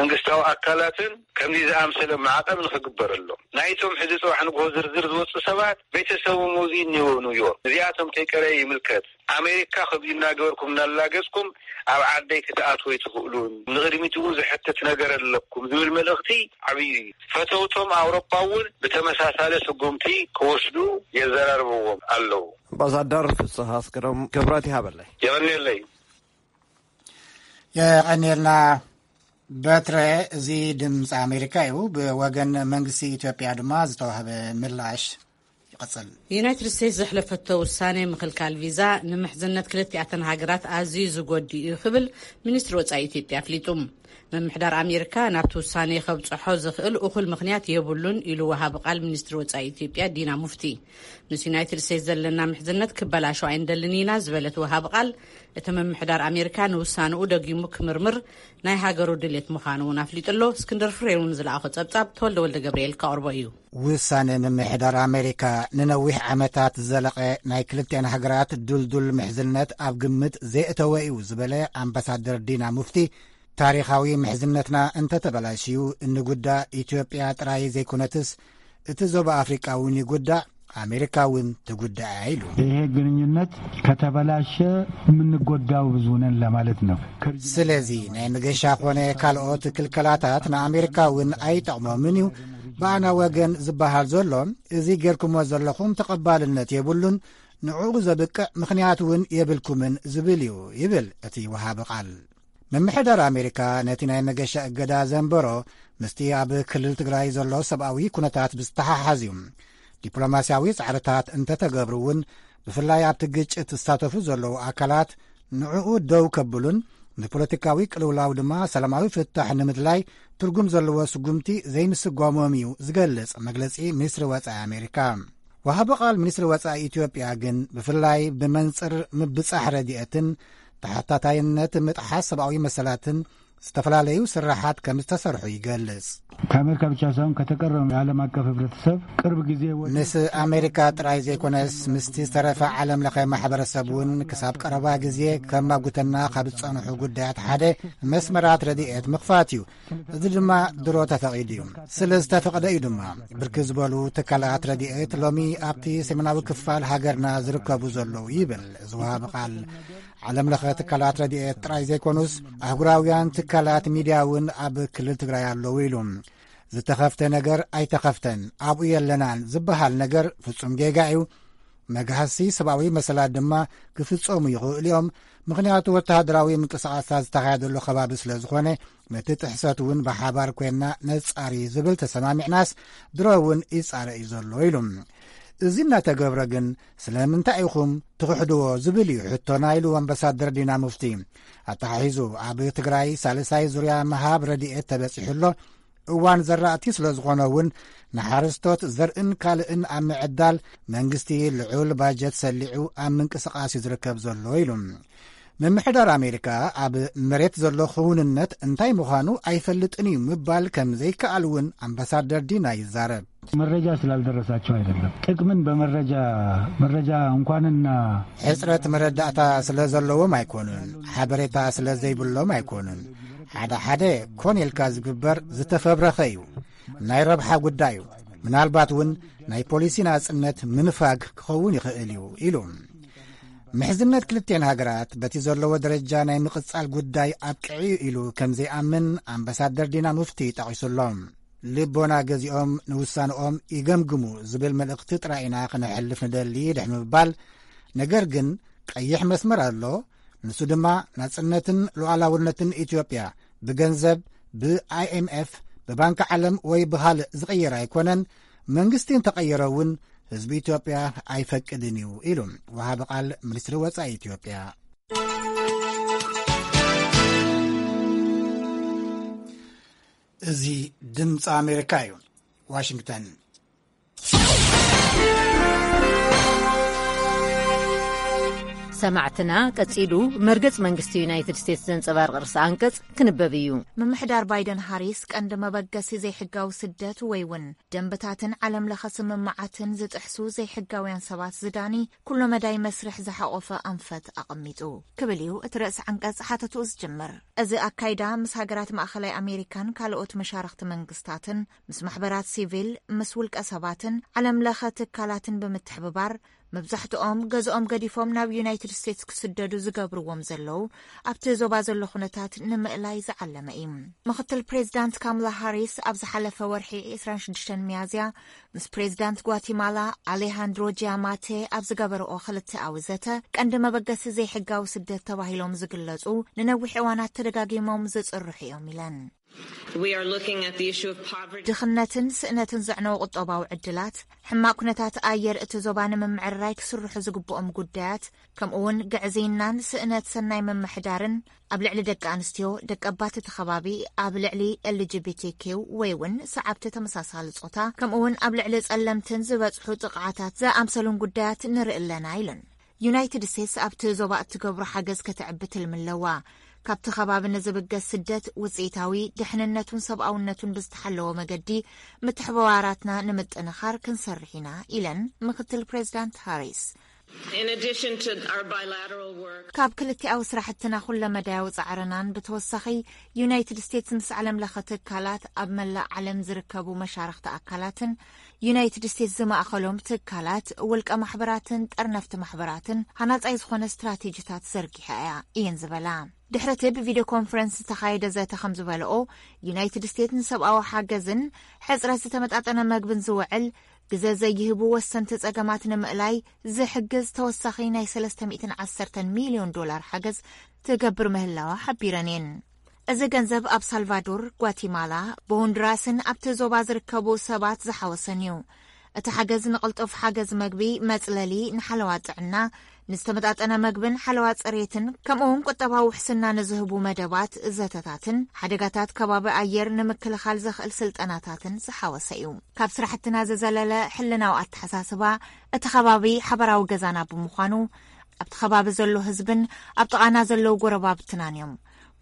መንግስታዊ ኣካላትን ከምዚ ዝኣምሰለ ማዕቐብ ንክግበረሎም፣ ናይቶም ሕዚ ጽባሕ ንግሆ ዝርዝር ዝወፁ ሰባት ቤተሰቦም እዚ እኒዎ ኒውዮርክ፣ እዚኣቶም ከይቀረየ ይምልከት። ኣሜሪካ ከምዚ እናገበርኩም እናላገጽኩም ኣብ ዓደይ ክትኣትዉ ኣይትኽእሉን፣ ንቕድሚት እውን ዝሕትት ነገር ኣለኩም ዝብል መልእኽቲ ዓብዪ እዩ። ፈተውቶም ኣውሮፓ እውን ብተመሳሳለ ስጉምቲ ክወስዱ የዘራርብዎም ኣለዉ። ኣምባሳደር ፍስሃ ኣስገዶም፣ ክብረት ይሃበለይ። የቐንየለይ። የቐንየልና። በትረ፣ እዚ ድምፂ ኣሜሪካ እዩ። ብወገን መንግስቲ ኢትዮጵያ ድማ ዝተዋህበ ምላሽ ይቐጽል። ዩናይትድ ስቴትስ ዘሕለፈቶ ውሳኔ ምኽልካል ቪዛ ንምሕዝነት ክልቲኣተን ሃገራት ኣዝዩ ዝጎዲ እዩ ክብል ሚኒስትሪ ወጻኢ ኢትዮጵያ ኣፍሊጡ። ምምሕዳር ኣሜሪካ ናብቲ ውሳኔ ከብጽሖ ዝኽእል እኹል ምኽንያት የብሉን ኢሉ ወሃቢ ቃል ሚኒስትሪ ወጻኢ ኢትዮጵያ ዲና ሙፍቲ። ምስ ዩናይትድ ስቴትስ ዘለና ምሕዝነት ክበላሾ ኣይንደልን ኢና ዝበለት ወሃቢ ቃል፣ እቲ ምምሕዳር ኣሜሪካ ንውሳንኡ ደጊሙ ክምርምር ናይ ሃገሩ ድሌት ምዃኑ እውን ኣፍሊጡ ኣሎ። እስክንድር ፍሬው ንዝለኣኾ ጸብጻብ ተወልደ ወልደ ገብርኤል ከቕርቦ እዩ። ውሳነ ምምሕዳር ኣሜሪካ ንነዊሕ ዓመታት ዝዘለቐ ናይ ክልቲኣን ሃገራት ድልዱል ምሕዝነት ኣብ ግምት ዘየእተወ እዩ ዝበለ ኣምባሳደር ዲና ሙፍቲ፣ ታሪኻዊ ምሕዝነትና እንተተበላሽዩ እንጉዳእ ኢትዮጵያ ጥራይ ዘይኮነትስ እቲ ዞባ ኣፍሪቃ እውን ይጉዳእ፣ ኣሜሪካ እውን ትጉዳእ ኢሉ። ይሄ ግንኙነት ከተበላሸ የምንጎዳው ብዙ ነን ለማለት ነው። ስለዚ ናይ መገሻ ኾነ ካልኦት ክልከላታት ንኣሜሪካ እውን ኣይጠቕሞምን እዩ። ብኣና ወገን ዝበሃል ዘሎ፣ እዚ ጌርኩሞ ዘለኹም ተቐባልነት የብሉን፣ ንዕኡ ዘብቅዕ ምኽንያት እውን የብልኩምን ዝብል እዩ ይብል እቲ ወሃቢ ቃል። ምምሕዳር ኣሜሪካ ነቲ ናይ መገሻ እገዳ ዘንበሮ ምስቲ ኣብ ክልል ትግራይ ዘሎ ሰብኣዊ ኩነታት ብዝተሓሓዝ እዩ። ዲፕሎማስያዊ ጻዕርታት እንተተገብሩ እውን፣ ብፍላይ ኣብቲ ግጭት ዝሳተፉ ዘለዉ ኣካላት ንዕኡ ደው ከብሉን ንፖለቲካዊ ቅልውላው ድማ ሰላማዊ ፍታሕ ንምድላይ ትርጉም ዘለዎ ስጉምቲ ዘይምስጓሞም እዩ ዝገልጽ መግለጺ ሚኒስትሪ ወጻኢ ኣሜሪካ። ወሃቢ ቃል ሚኒስትሪ ወጻኢ ኢትዮጵያ ግን ብፍላይ ብመንጽር ምብጻሕ ረድኤትን ተሓታታይነት ምጥሓስ ሰብኣዊ መሰላትን ዝተፈላለዩ ስራሓት ከም ዝተሰርሑ ይገልጽ። ከአሜሪካ ብቻ ሳይሆን ከተቀረው የዓለም አቀፍ ህብረተሰብ ቅርብ ጊዜ ወደ ምስ ኣሜሪካ ጥራይ ዘይኮነስ ምስቲ ዝተረፈ ዓለም ለኸ ማሕበረሰብ እውን ክሳብ ቀረባ ግዜ ከማጉተና ካብ ዝጸንሑ ጉዳያት ሓደ መስመራት ረድኤት ምኽፋት እዩ። እዚ ድማ ድሮ ተፈቒዱ እዩ። ስለ ዝተፈቕደ እዩ ድማ ብርክት ዝበሉ ትካላት ረድኤት ሎሚ ኣብቲ ሰሜናዊ ክፋል ሃገርና ዝርከቡ ዘለዉ ይብል እዚ ወሃቢ ቃል። ዓለም ለኸ ትካላት ረድኤት ጥራይ ዘይኮኑስ ኣህጉራውያን ትካላት ሚድያ እውን ኣብ ክልል ትግራይ ኣለዉ ኢሉ። ዝተኸፍተ ነገር ኣይተኸፍተን ኣብኡ የለናን ዝበሃል ነገር ፍጹም ጌጋ እዩ። መግሃሲ ሰብኣዊ መሰላት ድማ ክፍጸሙ ይኽእሉ እዮም። ምኽንያቱ ወተሃደራዊ ምንቅስቓሳት ዝተኻየደሉ ከባቢ ስለ ዝኾነ ነቲ ጥሕሰት እውን ብሓባር ኮይንና ነጻሪ ዝብል ተሰማሚዕናስ ድሮ እውን ይጻረ እዩ ዘሎ ኢሉ። እዚ እናተገብረ ግን ስለምንታይ ኢኹም ትኽሕድዎ ዝብል እዩ ሕቶና ኢሉ ኣምባሳደር ዲና ሙፍቲ። ኣተሓሒዙ ኣብ ትግራይ ሳልሳይ ዙርያ ምሃብ ረድኤት ተበጺሑ ኣሎ። እዋን ዘራእቲ ስለ ዝኾነ እውን ንሓረስቶት ዘርእን ካልእን ኣብ ምዕዳል መንግስቲ ልዑል ባጀት ሰሊዑ ኣብ ምንቅስቃስ እዩ ዝርከብ ዘሎ ኢሉ። ምምሕዳር ኣሜሪካ ኣብ መሬት ዘሎ ክውንነት እንታይ ምዃኑ ኣይፈልጥን እዩ ምባል ከም ዘይከኣል እውን ኣምባሳደር ዲና ይዛረብ። መረጃ ስላልደረሳቸው አይደለም። ጥቅምን በመረጃ መረጃ እንኳንና ሕጽረት መረዳእታ ስለ ዘለዎም ኣይኮኑን፣ ሓበሬታ ስለ ዘይብሎም ኣይኮኑን። ሓደ ሓደ ኮን ኢልካ ዝግበር ዝተፈብረኸ እዩ። ናይ ረብሓ ጉዳይ እዩ። ምናልባት እውን ናይ ፖሊሲ ናጽነት ምንፋግ ክኸውን ይኽእል እዩ ኢሉ። ምሕዝነት ክልቴን ሃገራት በቲ ዘለዎ ደረጃ ናይ ምቕጻል ጉዳይ ኣብቅዒ ኢሉ ከም ዘይኣምን ኣምባሳደር ዲና ሙፍቲ ጠቒሱሎም። ልቦና ገዚኦም ንውሳንኦም ይገምግሙ ዝብል መልእኽቲ ጥራይ ኢና ክነሕልፍ ንደሊ ድሕሪ ምባል፣ ነገር ግን ቀይሕ መስመር ኣሎ። ንሱ ድማ ናጽነትን ሉዓላውነትን ኢትዮጵያ ብገንዘብ፣ ብኣይኤምኤፍ፣ ብባንኪ ዓለም ወይ ብኻልእ ዝቕየር ኣይኮነን። መንግስቲ እንተቐየረ እውን ህዝቢ ኢትዮጵያ ኣይፈቅድን እዩ ኢሉ ወሃቢ ቃል ሚኒስትሪ ወጻኢ ኢትዮጵያ። እዚ ድምፂ ኣሜሪካ እዩ። ዋሽንግተን። ሰማዕትና፣ ቀጺሉ መርገጽ መንግስቲ ዩናይትድ ስቴትስ ዘንጸባርቕ ርእሰ ኣንቀጽ ክንበብ እዩ። ምምሕዳር ባይደን ሃሪስ ቀንዲ መበገሲ ዘይሕጋዊ ስደት ወይ እውን ደንብታትን ዓለም ለኸ ስምምዓትን ዝጥሕሱ ዘይሕጋውያን ሰባት ዝዳኒ ኩሎ መዳይ መስርሕ ዝሓቖፈ ኣንፈት ኣቐሚጡ ክብል እዩ እቲ ርእሰ ዓንቀጽ ሓተትኡ ዝጅምር። እዚ ኣካይዳ ምስ ሃገራት ማእኸላይ ኣሜሪካን ካልኦት መሻርኽቲ መንግስታትን፣ ምስ ማሕበራት ሲቪል፣ ምስ ውልቀ ሰባትን ዓለም ለኸ ትካላትን ብምትሕብባር፣ መብዛሕትኦም ገዝኦም ገዲፎም ናብ ዩናይትድ ስቴትስ ክስደዱ ዝገብርዎም ዘለዉ ኣብቲ ዞባ ዘሎ ኩነታት ንምእላይ ዝዓለመ እዩ። ምኽትል ፕሬዚዳንት ካምላ ሃሪስ ኣብ ዝሓለፈ ወርሒ ዕስራን ሽዱሽተን ሚያዝያ ምስ ፕሬዚዳንት ጓቲማላ ኣሌሃንድሮ ጂያማቴ ኣብ ዝገበረኦ ክልተኣዊ ዘተ፣ ቀንዲ መበገሲ ዘይሕጋዊ ስደት ተባሂሎም ዝግለጹ ንነዊሕ እዋናት ተደጋጊሞም ዝጽርሑ እዮም ኢለን። We are looking at the issue of poverty. ድኽነትን ስእነትን ዘዕነዉ ቁጠባዊ ዕድላት፣ ሕማቕ ኩነታት ኣየር እቲ ዞባ ንምምዕርራይ ክስርሑ ዝግብኦም ጉዳያት፣ ከምኡ እውን ግዕዝይናን ስእነት ሰናይ ምምሕዳርን ኣብ ልዕሊ ደቂ ኣንስትዮ፣ ደቂ ኣባት እቲ ከባቢ፣ ኣብ ልዕሊ ኤል ጂ ቢ ቲ ኪው ወይ እውን ሰዓብቲ ተመሳሳሊ ጾታ፣ ከምኡ እውን ኣብ ልዕሊ ጸለምትን ዝበጽሑ ጥቕዓታት ዝኣምሰሉን ጉዳያት ንርኢ ኣለና ኢሉን። ዩናይትድ ስቴትስ ኣብቲ ዞባ እትገብሮ ሓገዝ ከተዕቢ ትልሚ ኣለዋ። ካብቲ ከባቢ ንዝብገስ ስደት ውጽኢታዊ፣ ድሕንነቱን ሰብኣውነቱን ብዝተሓለወ መገዲ ምትሕብባራትና ንምጥንኻር ክንሰርሕ ኢና ኢለን ምክትል ፕሬዚዳንት ሃሪስ። In addition to our bilateral work, ካብ ክልቲኣዊ ስራሕትና ኩለመዳያዊ ጻዕርናን ብተወሳኺ ዩናይትድ ስቴትስ ምስ ዓለም ለኸ ትካላት ኣብ መላእ ዓለም ዝርከቡ መሻርኽቲ ኣካላትን ዩናይትድ ስቴትስ ዝማእኸሎም ትካላት፣ ውልቀ ማሕበራትን ጠርነፍቲ ማሕበራትን ሃናጻይ ዝኾነ ስትራቴጂታት ዘርጊሓ እያ እየን ዝበላ። ድሕሪ እቲ ብቪድዮ ኮንፈረንስ ዝተኻየደ ዘተ ከም ዝበለኦ፣ ዩናይትድ ስቴትስ ንሰብኣዊ ሓገዝን ሕጽረት ዝተመጣጠነ መግብን ዝውዕል ግዘ ዘይህቡ ወሰንቲ ጸገማት ንምእላይ ዝሕግዝ ተወሳኺ ናይ ሰለስተ ሚእትን ዓሰርተን ሚልዮን ዶላር ሓገዝ ትገብር ምህላዋ ሓቢረን እየን። እዚ ገንዘብ ኣብ ሳልቫዶር፣ ጓቲማላ፣ ብሆንዱራስን ኣብቲ ዞባ ዝርከቡ ሰባት ዝሓወሰን እዩ። እቲ ሓገዝ ንቕልጡፍ ሓገዝ መግቢ፣ መጽለሊ፣ ንሓለዋ ጥዕና፣ ንዝተመጣጠነ መግብን ሓለዋ ጽሬትን፣ ከምኡውን ቁጠባዊ ውሕስና ንዝህቡ መደባት፣ ዘተታትን ሓደጋታት ከባቢ ኣየር ንምክልኻል ዘኽእል ስልጠናታትን ዝሓወሰ እዩ። ካብ ስራሕትና ዝዘለለ ሕልናዊ ኣተሓሳስባ፣ እቲ ከባቢ ሓበራዊ ገዛና ብምዃኑ፣ ኣብቲ ከባቢ ዘሎ ህዝብን ኣብ ጥቓና ዘለዉ ጎረባብትናን እዮም።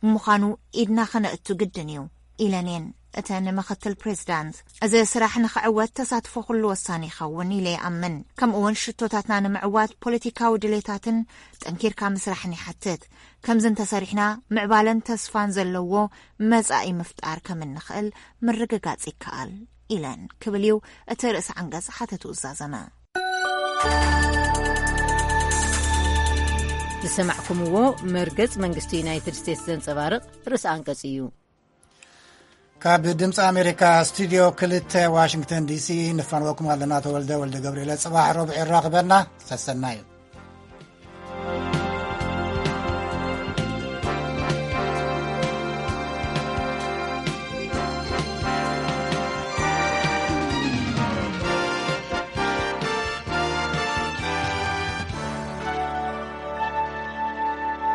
ብምዃኑ ኢድና ከነእቱ ግድን እዩ ኢለን እየን። እተን ምኽትል ፕሬዚዳንት፣ እዚ ስራሕ ንኽዕወት ተሳትፎ ኩሉ ወሳኒ ይኸውን ኢለ ይኣምን። ከምኡ እውን ሽቶታትና ንምዕዋት ፖለቲካዊ ድሌታትን ጠንኪርካ ምስራሕን ይሓትት። ከምዚ እንተሰሪሕና ምዕባለን ተስፋን ዘለዎ መጻኢ ምፍጣር ከም እንኽእል ምርግጋጽ ይከኣል ኢለን ክብል እዩ እቲ ርእሲ ዓንቀጽ ሓተቱ ዝዛዘመ። ዝሰማዕኩምዎ መርገጽ መንግስቲ ዩናይትድ ስቴትስ ዘንጸባርቕ ርእሲ ኣንቀጽ እዩ። ካብ ድምፂ ኣሜሪካ ስቱዲዮ ክልተ ዋሽንግተን ዲሲ ንፋንወኩም ኣለና። ተወልደ ወልደ ገብርኤለ። ፅባሕ ረቡዕ ይራኽበና። ሰሰናዩ።